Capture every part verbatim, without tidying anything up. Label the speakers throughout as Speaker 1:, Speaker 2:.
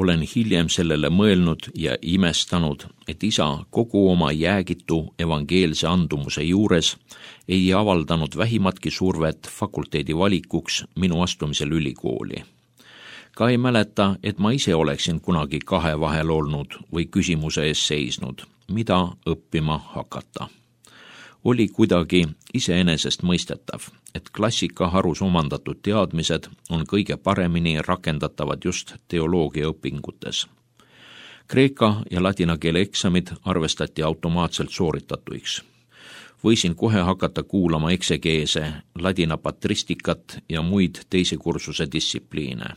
Speaker 1: Olen hiljem sellele mõelnud ja imestanud, et isa kogu oma jäägitu evangeelse andumuse juures ei avaldanud vähimatki survet fakulteedi valikuks minu astumisel ülikooli. Ka ei mäleta, et ma ise oleksin kunagi kahe vahel olnud või küsimuse ees seisnud, mida õppima hakata. Oli kuidagi iseenesest mõistetav, et klassikaharus omandatud teadmised on kõige paremini rakendatavad just teoloogia õpingutes. Kreeka ja ladina keele eksamid arvestati automaatselt sooritatuiks. Võisin kohe hakata kuulama eksegeese, ladina patristikat ja muid teise kursuse distsipliine.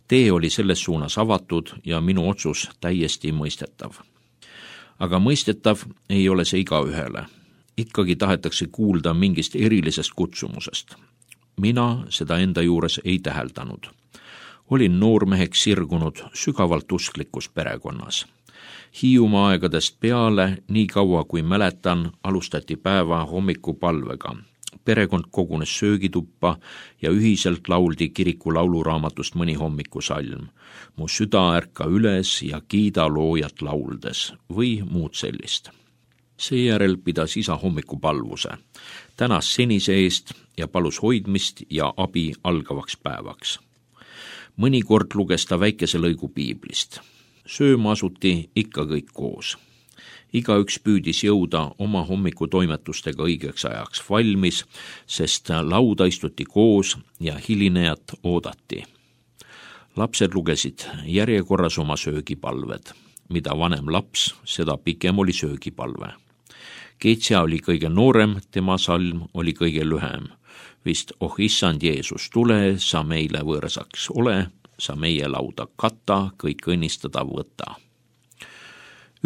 Speaker 1: Tee oli selles suunas avatud ja minu otsus täiesti mõistetav. Aga mõistetav ei ole see igaühele. Ikkagi tahetakse kuulda mingist erilisest kutsumusest. Mina seda enda juures ei täheldanud. Olin noormeheks sirgunud sügavalt usklikus perekonnas. Hiiumaa aegadest peale, nii kaua kui mäletan, alustati päeva hommikupalvega. Perekond kogunes söögituppa ja ühiselt lauldi kiriku lauluraamatust mõni hommikusalm. Mu süda ärka üles ja kiida loojat lauldes või muud sellist. Seejärel pidas isa hommikupalvuse, tänas senise eest ja palus hoidmist ja abi algavaks päevaks. Mõnikord luges ta väikese lõigu piiblist. Sööma asuti ikka kõik koos. Igaüks püüdis jõuda oma hommikutoimetustega õigeks ajaks valmis, sest lauda istuti koos ja hilinejat oodati. Lapsed lugesid järjekorras oma söögipalved. Mida vanem laps, seda pikem oli söögipalve. Keetsia oli kõige noorem, tema salm oli kõige lühem. Vist oh issand Jeesus, tule, sa meile võõrsaks ole, sa meie lauda kata, kõik õnnistada võta.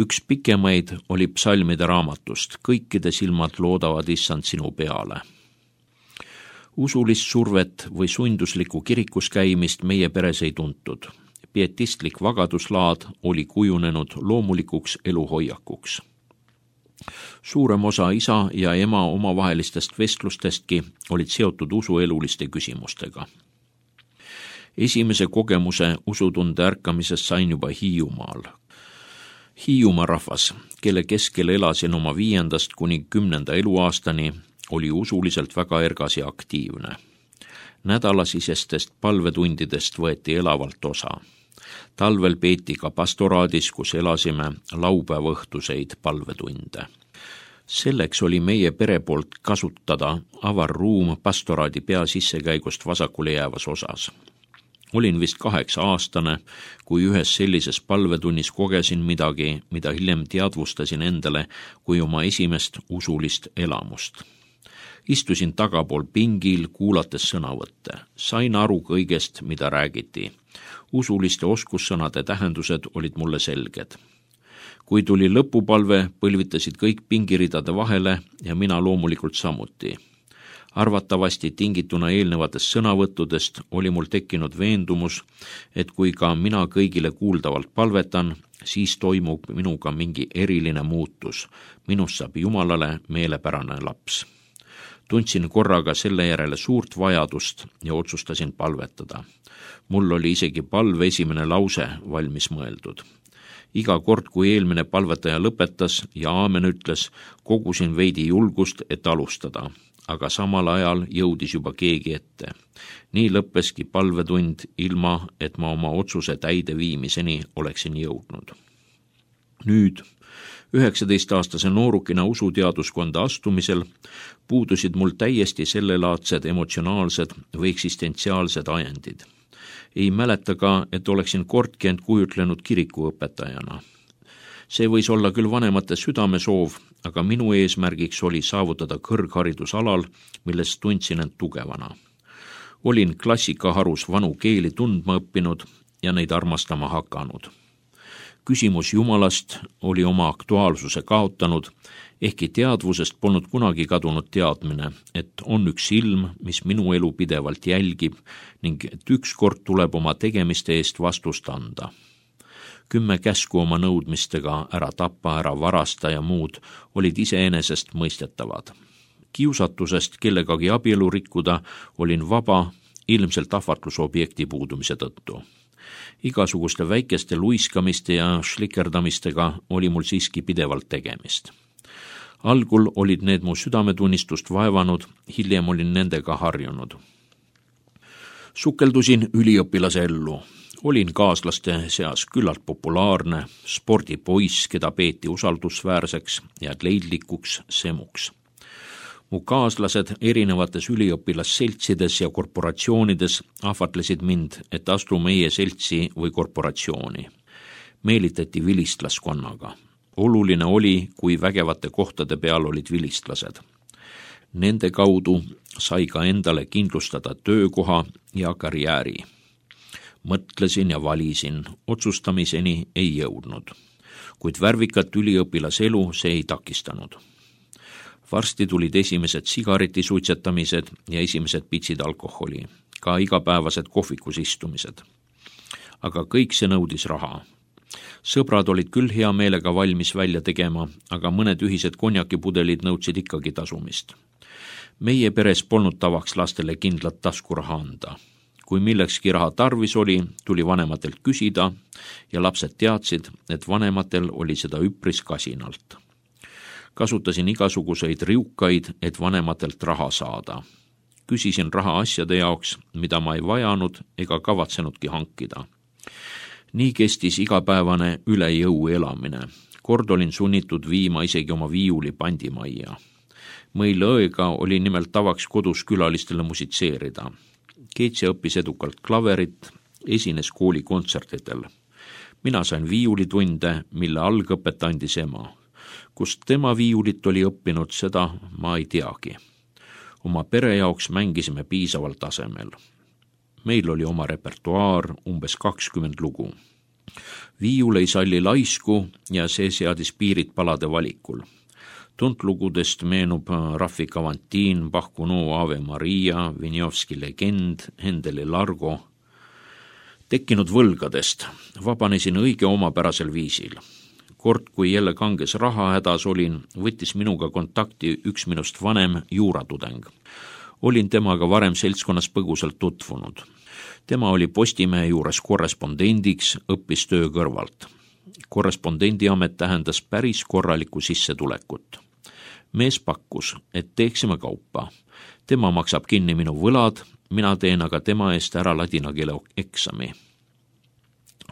Speaker 1: Üks pikemaid oli psalmide raamatust, kõikide silmad loodavad issand sinu peale. Usulist survet või sunduslikku kirikus käimist meie peres ei tuntud. Pietistlik vagaduslaad oli kujunenud loomulikuks eluhoiakuks. Suurem osa isa ja ema omavahelistest vestlustestki olid seotud usueluliste küsimustega. Esimese kogemuse usutunde ärkamisest sain juba Hiiumaal. Hiiumaa rahvas, kelle keskel elasin oma viiendast kuni kümnenda eluaastani, oli usuliselt väga ergas ja aktiivne. Nädalasisestest palvetundidest võeti elavalt osa. Talvel peeti ka pastoraadis, kus elasime laupäeva õhtuseid palvetunde. Selleks oli meie pere poolt kasutada avar ruum pastoraadi pea sissekäigust vasakule jäävas osas. Olin vist kaheksa aastane, kui ühes sellises palvetunnis kogesin midagi, mida hiljem teadvustasin endale kui oma esimest usulist elamust. Istusin tagapool pingil, kuulates sõnavõtte. Sain aru kõigest, mida räägiti. Usuliste oskussõnade tähendused olid mulle selged. Kui tuli lõpupalve, põlvitasid kõik pingiridade vahele ja mina loomulikult samuti. Arvatavasti tingituna eelnevatest sõnavõttudest oli mul tekkinud veendumus, et kui ka mina kõigile kuuldavalt palvetan, siis toimub minuga mingi eriline muutus. Minust saab Jumalale meelepärane laps. Tundsin korraga selle järele suurt vajadust ja otsustasin palvetada. Mul oli isegi palve esimene lause valmis mõeldud. Iga kord, kui eelmine palvetaja lõpetas ja aamen ütles, kogusin veidi julgust, et alustada, aga samal ajal jõudis juba keegi ette. Nii lõppeski palvetund ilma, et ma oma otsuse täide viimiseni oleksin jõudnud. Nüüd, üheksateistaastase noorukina usuteaduskonda astumisel puudusid mul täiesti sellelaadsed emotsionaalsed või eksistentsiaalsed ajendid. Ei mäleta ka, et oleksin kordki end kujutlenud kirikuõpetajana. See võis olla küll vanemate südamesoov, aga minu eesmärgiks oli saavutada kõrgharidusalal, milles tundsin end tugevana. Olin klassikaharus vanu keeli tundma õppinud ja neid armastama hakanud. Küsimus Jumalast oli oma aktuaalsuse kaotanud, ehkki teadvusest polnud kunagi kadunud teadmine, et on üks ilm, mis minu elu pidevalt jälgib ning et ükskord tuleb oma tegemiste eest vastust anda. Kümme käsku oma nõudmistega ära tappa, ära varasta ja muud olid iseenesest mõistetavad. Kiusatusest kellegagi abielu rikkuda olin vaba, ilmselt ahvatlusobjekti puudumise tõttu. Igasuguste väikeste luiskamiste ja šlikerdamistega oli mul siiski pidevalt tegemist. Algul olid need mu südametunnistust vaevanud, hiljem olin nendega harjunud. Sukeldusin üliõpilase ellu. Olin kaaslaste seas küllalt populaarne, spordipoiss, keda peeti usaldusväärseks ja leidlikuks semuks. Mu kaaslased erinevates üliõpilasseltsides ja korporatsioonides ahvatlesid mind, et astu meie seltsi või korporatsiooni. Meelitati vilistlaskonnaga. Oluline oli, kui vägevate kohtade peal olid vilistlased. Nende kaudu sai ka endale kindlustada töökoha ja karjääri. Mõtlesin ja valisin, otsustamiseni ei jõudnud, kuid värvikat üliõpilaselu see ei takistanud. Varsti tulid esimesed sigareti suitsetamised ja esimesed pitsid alkoholi, ka igapäevased kohvikus istumised. Aga kõik see nõudis raha. Sõbrad olid küll hea meelega valmis välja tegema, aga mõned ühised konjakipudelid nõudsid ikkagi tasumist. Meie peres polnud tavaks lastele kindlat taskuraha anda. Kui millekski raha tarvis oli, tuli vanematelt küsida ja lapsed teadsid, et vanematel oli seda üpris kasinalt. Kasutasin igasuguseid riukaid, et vanematelt raha saada. Küsisin raha asjade jaoks, mida ma ei vajanud ega kavatsenudki hankida. Nii kestis igapäevane üle jõu elamine. Kord olin sunnitud viima isegi oma viiuli pandimajja. Meil õega oli nimelt tavaks kodus külalistele musitseerida. Keitse õppis edukalt klaverit, esines kooli kontsertidel. Mina sain viiulitunde, mille algõpet andis ema. Kust tema viiulit oli õppinud, seda ma ei teagi. Oma pere jaoks mängisime piisaval tasemel. Meil oli oma repertuaar, umbes kakskümmend lugu. Viiul ei salli laisku ja see seadis piirid palade valikul. Tuntlugudest meenub Raffi Kavantiin, Bach-Gounod Ave Maria, Vinjovski legend, Hendeli Largo. Tekkinud võlgadest vabanesin õige omapärasel viisil. Kord, kui jälle kanges raha hädas olin, võttis minuga kontakti üks minust vanem juuratudeng. Olin temaga varem seltskonnas põgusalt tutvunud. Tema oli Postimehe juures korrespondendiks, õppis töö kõrvalt. Korrespondendiamet tähendas päris korralikku sissetulekut. Mees pakkus, et teeksime kaupa. Tema maksab kinni minu võlad, mina teen aga tema eest ära ladina keele eksami.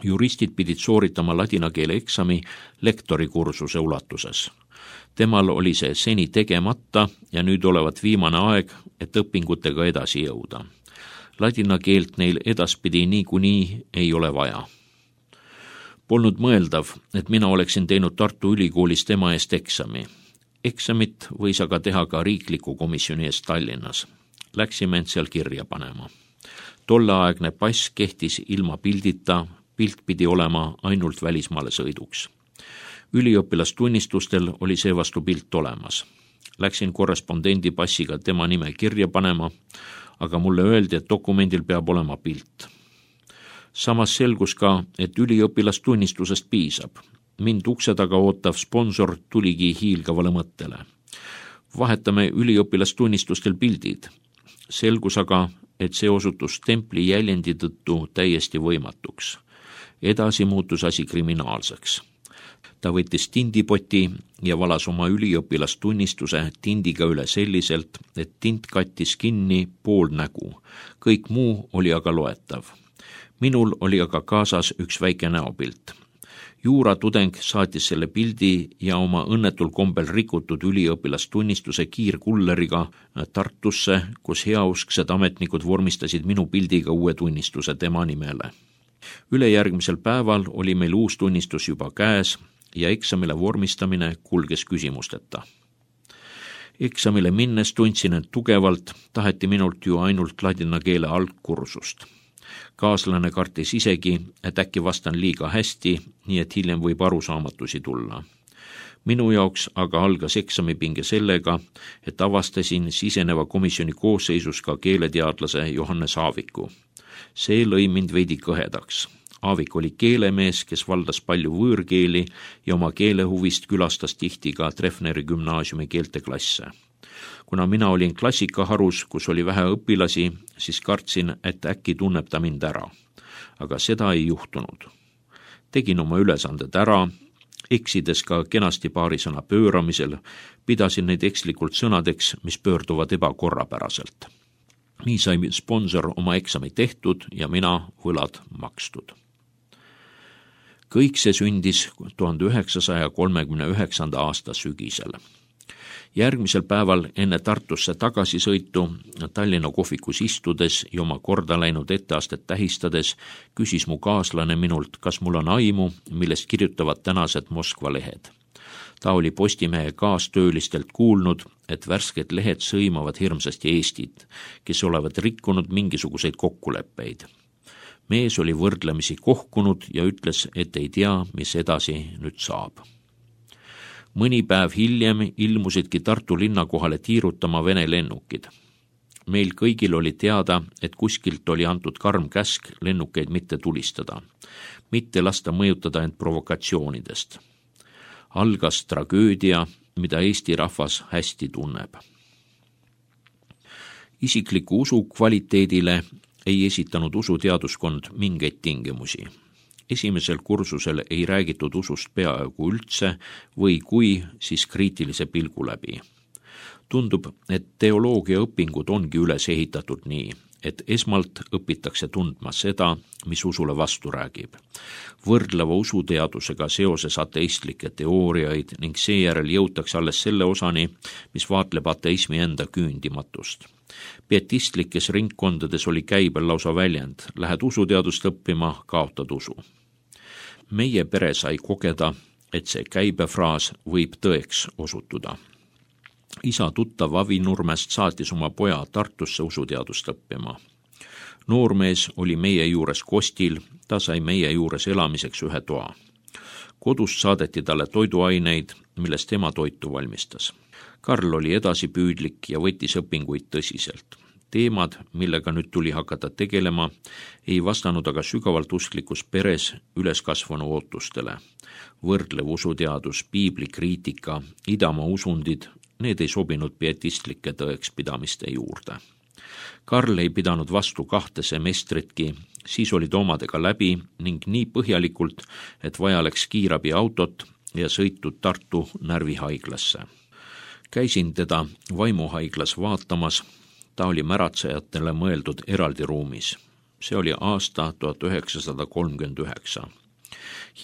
Speaker 1: Juristid pidid sooritama ladina keele eksami lektori kursuse ulatuses. Temal oli see seni tegemata ja nüüd olevat viimane aeg, et õpingutega edasi jõuda. Ladina keelt neil edaspidi niikuinii ei ole vaja. Polnud mõeldav, et mina oleksin teinud Tartu Ülikoolis tema eest eksami. Eksamit võis aga teha ka riikliku komisjoni eest Tallinnas. Läksime end seal kirja panema. Tolleaegne pass kehtis ilma pildita, pilt pidi olema ainult välismaale sõiduks. Üliõpilastunnistustel oli see vastu pilt olemas. Läksin korrespondendi passiga tema nime kirja panema, aga mulle öeldi, et dokumendil peab olema pilt. Samas selgus ka, et üliõpilastunnistusest piisab. Mind ukse taga ootav sponsor tuligi hiilgavale mõttele. Vahetame üliõpilastunnistustel pildid. Selgus aga, et see osutus templi jäljendi tõttu täiesti võimatuks. Edasi muutus asi kriminaalseks. Ta võttis tindipoti ja valas oma üliõpilastunnistuse tindiga üle selliselt, et tint kattis kinni pool nägu. Kõik muu oli aga loetav. Minul oli aga kaasas üks väike näopilt. Juuratudeng saatis selle pildi ja oma õnnetul kombel rikutud üliõpilastunnistuse kiirkulleriga Tartusse, kus heausksed ametnikud vormistasid minu pildiga uue tunnistuse tema nimele. Ülejärgmisel päeval oli meil uus tunnistus juba käes ja eksamile vormistamine kulges küsimusteta. Eksamile minnes tundsin end tugevalt, taheti minult ju ainult ladina keele algkursust. Kaaslane kartis isegi, et äkki vastan liiga hästi, nii et hiljem võib arusaamatusi tulla. Minu jaoks aga algas eksamipinge sellega, et avastasin siseneva komisjoni koosseisus ka keeleteadlase Johannes Aaviku. See lõi mind veidi kõhedaks. Aavik oli keelemees, kes valdas palju võõrkeeli ja oma keelehuvist külastas tihti ka Treffneri gümnaasiumi keelteklasse. Kuna mina olin klassikaharus, kus oli vähe õpilasi, siis kartsin, et äkki tunneb ta mind ära. aga seda ei juhtunud. Tegin oma ülesanded ära, eksides ka kenasti paari sõna pööramisel, pidasin neid ekslikult sõnadeks, mis pöörduvad ebakorrapäraselt. Nii sai sponsor oma eksami tehtud ja mina võlad makstud. Kõik see sündis tuhande üheksasaja kolmekümne üheksanda aasta sügisel. Järgmisel päeval enne Tartusse tagasisõitu Tallinna kohvikus istudes ja oma korda läinud etteastet tähistades küsis mu kaaslane minult, kas mul on aimu, millest kirjutavad tänased Moskva lehed. Ta oli Postimehe kaastöölistelt kuulnud, et värsked lehed sõimavad hirmsasti Eestit, kes olevat rikkunud mingisuguseid kokkuleppeid. Mees oli võrdlemisi kohkunud ja ütles, et ei tea, mis edasi nüüd saab. Mõni päev hiljem ilmusidki Tartu linna kohale tiirutama Vene lennukid. Meil kõigil oli teada, et kuskilt oli antud karm käsk lennukeid mitte tulistada, mitte lasta mõjutada end provokatsioonidest. Algas tragöödia, mida Eesti rahvas hästi tunneb. Isikliku usu kvaliteedile ei esitanud usuteaduskond mingeid tingimusi. Esimesel kursusel ei räägitud usust peaaegu üldse või kui, siis kriitilise pilgu läbi. Tundub, et teoloogia õpingud ongi üles ehitatud nii, et esmalt õpitakse tundma seda, mis usule vastu räägib. Võrdleva usuteadusega seoses ateistlikke teooriaid ning seejärel jõutakse alles selle osani, mis vaatleb ateismi enda küündimatust. Pietistlikes ringkondades oli käibel lausa väljend, lähed usuteadust õppima, kaotad usu. Meie pere sai kogeda, et see käibefraas võib tõeks osutuda. Isa tuttav Avi Nurmest saatis oma poja Tartusse usuteadust õppima. Noormees oli meie juures kostil, ta sai meie juures elamiseks ühe toa. Kodust saadeti talle toiduaineid, millest ema toitu valmistas. Karl oli edasipüüdlik ja võttis õpinguid tõsiselt. Teemad, millega nüüd tuli hakata tegelema, ei vastanud aga sügavalt usklikus peres üleskasvanu ootustele. Võrdlev usuteadus, piiblikriitika, idamaa usundid, need ei sobinud pietistlike tõekspidamiste juurde. Karl ei pidanud vastu kahte semestritki, siis olid omadega läbi ning nii põhjalikult, et vaja läks kiirabi autot ja sõitud Tartu närvihaiglasse. Käisin teda vaimuhaiglas vaatamas, ta oli märatsejatele mõeldud eraldi ruumis. See oli aasta tuhat üheksasada kolmkümmend üheksa.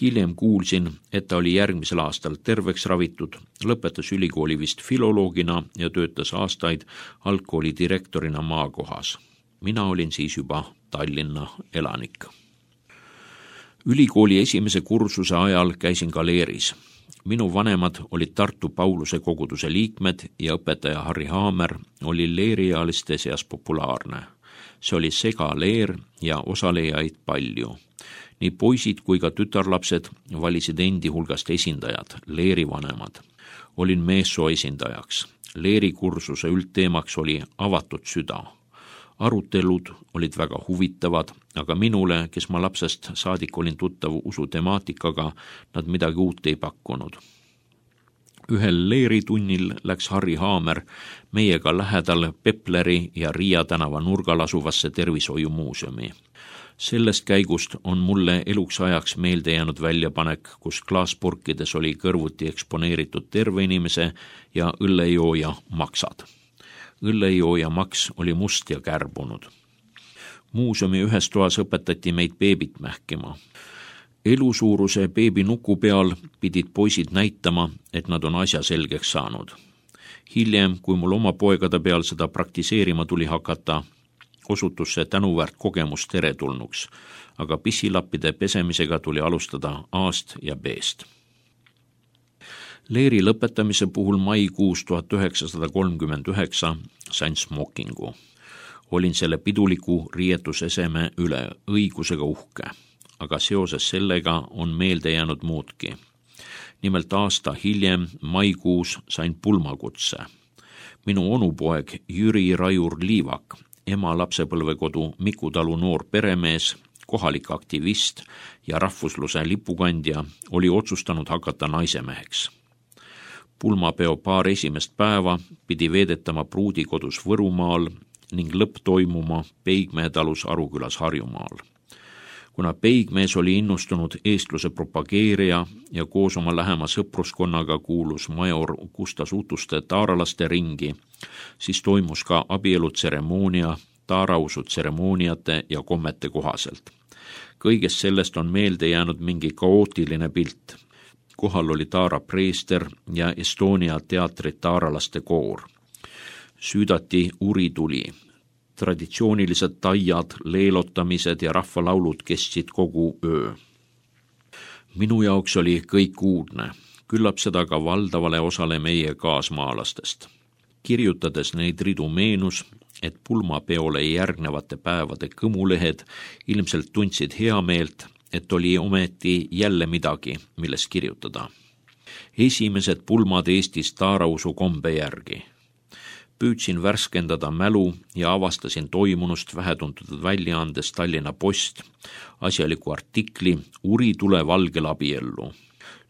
Speaker 1: Hiljem kuulsin, et ta oli järgmisel aastal terveks ravitud, lõpetas ülikooli vist filoloogina ja töötas aastaid algkooli direktorina maakohas. Mina olin siis juba Tallinna elanik. Ülikooli esimese kursuse ajal käisin galeeris. Minu vanemad olid Tartu Pauluse koguduse liikmed ja õpetaja Harri Haamer oli leeriealiste seas populaarne. See oli segaleer ja osalejaid palju. Nii poisid kui ka tütarlapsed valisid endi hulgast esindajad, leerivanemad. Olin meessoo esindajaks. Leerikursuse üldteemaks oli avatud süda. Arutelud olid väga huvitavad, aga minule, kes ma lapsest saadik olin tuttav usu temaatikaga, nad midagi uut ei pakkunud. Ühel leeritunnil läks Harri Haamer meiega lähedal Pepleri ja Riia tänava nurgal asuvasse tervishoiumuuseumi. Sellest käigust on mulle eluks ajaks meelde jäänud väljapanek, kus klaaspurkides oli kõrvuti eksponeeritud terve inimese ja õllejooja maksad. Õllejooja maks oli must ja kärbunud. Muuseumi ühes toas õpetati meid beebit mähkima. Elusuuruse beebi nuku peal pidid poisid näitama, et nad on asja selgeks saanud. Hiljem, kui mul oma poegade peal seda praktiseerima tuli hakata, osutus see tänuväärt kogemus teretulnuks, aga pissilappide pesemisega tuli alustada A-st ja B-st. Leeri lõpetamise puhul maikuus tuhat üheksasada kolmkümmend üheksa sain smokingu. Olin selle piduliku riietuseseme üle õigusega uhke, aga seoses sellega on meelde jäänud muudki. Nimelt aasta hiljem maikuus sain pulmakutse. Minu onupoeg Jüri Rajur Liivak, ema lapsepõlvekodu Miku talu noor peremees, kohalik aktivist ja rahvusluse lipukandja, oli otsustanud hakata naisemeheks. Pulmapeo paar esimest päeva pidi veedetama pruudikodus Võrumaal ning lõpp toimuma Peigmäe talus Arukülas Harjumaal. Kuna Peigmees oli innustunud eestluse propageerija ja koos oma lähema sõpruskonnaga kuulus major Gustas Utuste taaralaste ringi, siis toimus ka abielutseremoonia taarausu tseremooniate ja kommete kohaselt. Kõigest sellest on meelde jäänud mingi kaootiline pilt. Kohal oli Taara preester ja Estonia teatri taaralaste koor. Süüdati urituli. Traditsioonilised taiad, leelotamised ja rahvalaulud kestsid kogu öö. Minu jaoks oli kõik uudne, küllap seda ka valdavale osale meie kaasmaalastest. Kirjutades neid ridu meenus, et pulmapeole järgnevate päevade kõmulehed ilmselt tundsid heameelt, et oli ometi jälle midagi, millest kirjutada. Esimesed pulmad Eestis taarausu kombe järgi. Püüdsin värskendada mälu ja avastasin toimunust vähetuntud väljaandes Tallinna Post asjaliku artikli Uritule valgel abiellu.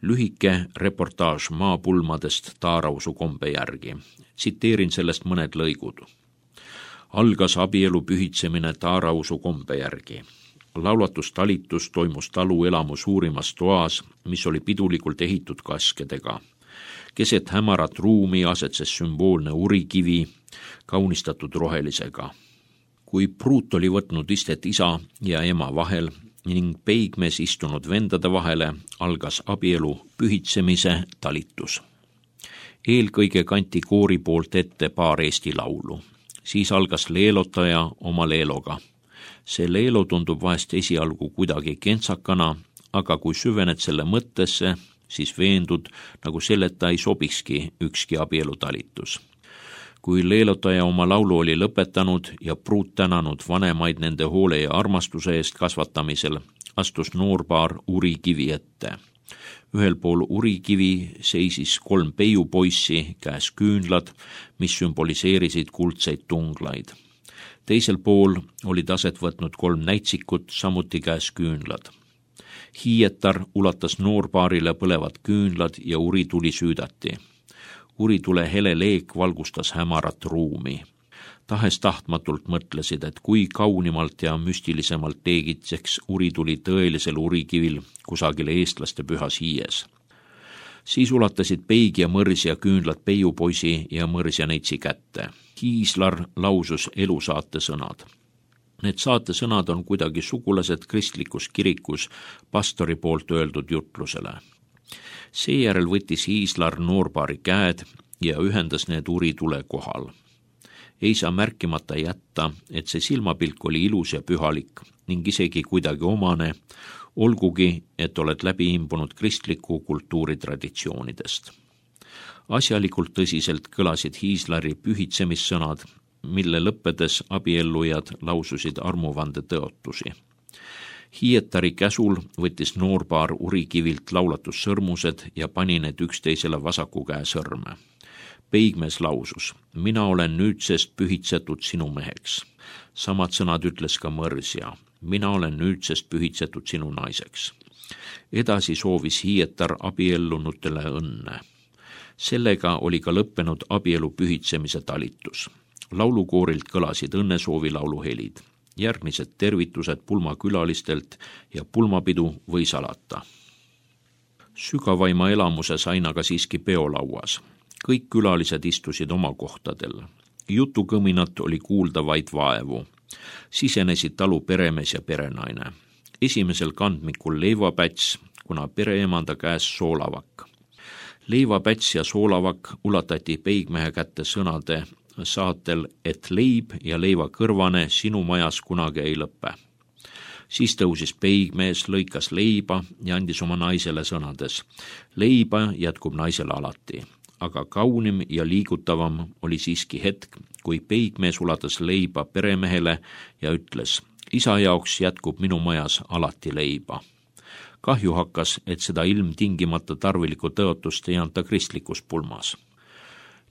Speaker 1: Lühike reportaaž maapulmadest taarausu kombe järgi. Tsiteerin sellest mõned lõigud. Algas abielu pühitsemine taarausu kombe järgi. Laulatustalitus toimus talu elamu suurimas toas, mis oli pidulikult ehitud kaskedega. Keset hämarat ruumi asetses sümboolne urikivi, kaunistatud rohelisega. Kui pruut oli võtnud istet isa ja ema vahel ning Peigmees istunud vendade vahele, algas abielu pühitsemise talitus. Eelkõige kanti koori poolt ette paar eesti laulu. Siis algas leelotaja oma leeloga. See leelo tundub vahest esialgu kuidagi kentsakana, aga kui süvened selle mõttesse, siis veendud, nagu selleta ei sobikski ükski abielutalitus. Kui leelotaja oma laulu oli lõpetanud ja pruut tänanud vanemaid nende hoole ja armastuse eest kasvatamisel, astus noorpaar urikivi ette. Ühel pool urikivi seisis kolm peiupoissi, käes küünlad, mis sümboliseerisid kuldseid tunglaid. Teisel pool olid aset võtnud kolm näitsikut, samuti käes küünlad. Hiietar ulatas noorpaarile põlevad küünlad ja urituli süüdati. Uritule hele leek valgustas hämarat ruumi. Tahes tahtmatult mõtlesid, et kui kaunimalt ja müstilisemalt teegitseks urituli tõelisel urikivil kusagil eestlaste pühas hiies. Siis ulatasid peig ja mõrs ja küünlad peiupoisi ja mõrs ja neitsi kätte. Hiislar lausus elusaate sõnad. Need saatesõnad on kuidagi sugulased kristlikus kirikus pastori poolt öeldud jutlusele. Seejärel võttis Hiislar noorpaari käed ja ühendas need uritule kohal. Ei saa märkimata jätta, et see silmapilk oli ilus ja pühalik ning isegi kuidagi omane, olgugi, et oled läbi imbunud kristliku kultuuri traditsioonidest. Asjalikult tõsiselt kõlasid Hiislari pühitsemissõnad, mille lõppedes abiellujad laususid armuvande tõotusi. Hiietari käsul võttis noorpaar urikivilt laulatussõrmused ja pani need üksteisele vasaku käe sõrme. Peigmees lausus, mina olen nüüdsest pühitsetud sinu meheks. Samad sõnad ütles ka mõrsja, mina olen nüüdsest pühitsetud sinu naiseks. Edasi soovis Hiietar abiellunutele õnne. Sellega oli ka lõppenud abielu pühitsemise talitus. Laulukoorilt kõlasid õnnesoovi lauluhelid. Järgmised tervitused pulmakülalistelt ja pulmapidu võis alata. Sügavaima elamuse sain aga siiski peolauas. Kõik külalised istusid oma kohtadel. Jutukõminat oli kuulda vaid vaevu. Sisenesid talu peremees ja perenaine. Esimesel kandmikul leivapäts, kuna pereemanda käes soolavak. Leivapäts ja soolavak ulatati Peigmehe kätte sõnade saatel, et leib ja leiva kõrvane sinu majas kunagi ei lõppe. Siis tõusis Peigmees, lõikas leiba ja andis oma naisele sõnades. Leiba jätkub naisele alati, aga kaunim ja liigutavam oli siiski hetk, kui Peigmees ulatas leiba peremehele ja ütles, isa jaoks jätkub minu majas alati leiba. Kahju hakkas, et seda ilmtingimata tarvilikku tõotust ei anta kristlikus pulmas.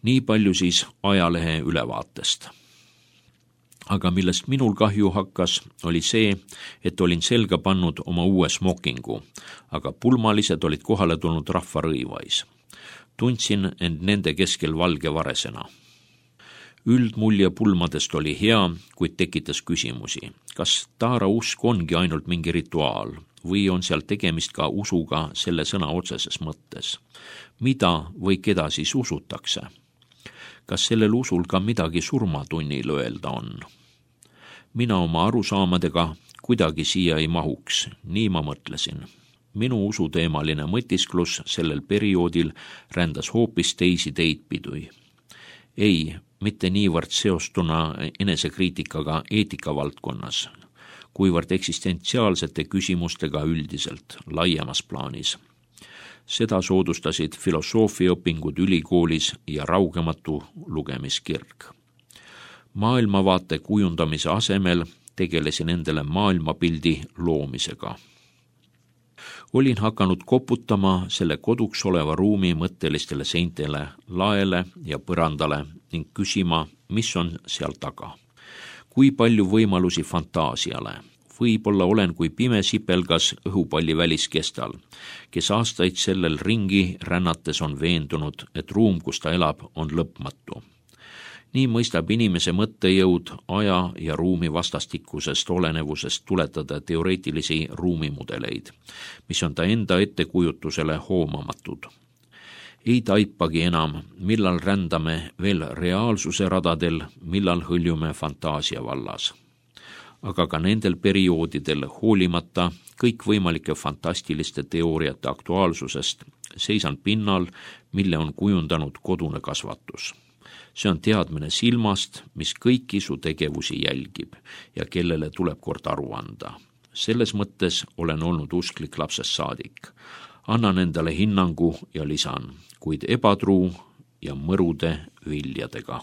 Speaker 1: Nii palju siis ajalehe ülevaatest. Aga millest minul kahju hakkas, oli see, et olin selga pannud oma uue smokingu, aga pulmalised olid kohale tulnud rahvarõivais. Tundsin end nende keskel valge varesena. Üldmulje pulmadest oli hea, kuid tekitas küsimusi. Kas taara usk ongi ainult mingi rituaal või on seal tegemist ka usuga selle sõna otseses mõttes? Mida või keda siis usutakse? Kas sellel usul ka midagi surmatunnil öelda on? Mina oma arusaamadega kuidagi siia ei mahuks, nii ma mõtlesin. Minu usuteemaline mõtisklus sellel perioodil rändas hoopis teisi teid pidui. Ei, mitte niivõrd seostuna enesekriitikaga eetikavaldkonnas, kuivõrd eksistentsiaalsete küsimustega üldiselt, laiemas plaanis. Seda soodustasid filosoofiaõpingud ülikoolis ja raugematu lugemiskirg. Maailmavaate kujundamise asemel tegelesin endale maailmapildi loomisega. Olin hakanud koputama selle koduks oleva ruumi mõttelistele seintele, laele ja põrandale ning küsima, mis on seal taga. Kui palju võimalusi fantaasiale? Võib-olla olen kui pime sipelgas õhupalli väliskestal, kes aastaid sellel ringi rännates on veendunud, et ruum, kus ta elab, on lõpmatu. Nii mõistab inimese mõttejõud aja ja ruumi vastastikusest olenevusest tuletada teoreetilisi ruumimudeleid, mis on ta enda ettekujutusele hoomamatud. Ei taipagi enam, millal rändame veel reaalsuse radadel, millal hõljume fantaasia vallas. Aga ka nendel perioodidel hoolimata kõikvõimalike fantastiliste teooriate aktuaalsusest seisan pinnal, mille on kujundanud kodune kasvatus. See on teadmine silmast, mis kõiki su tegevusi jälgib ja kellele tuleb kord aru anda. Selles mõttes olen olnud usklik lapsest saadik. Annan endale hinnangu ja lisan, kuid ebatruu ja mõrude viljadega.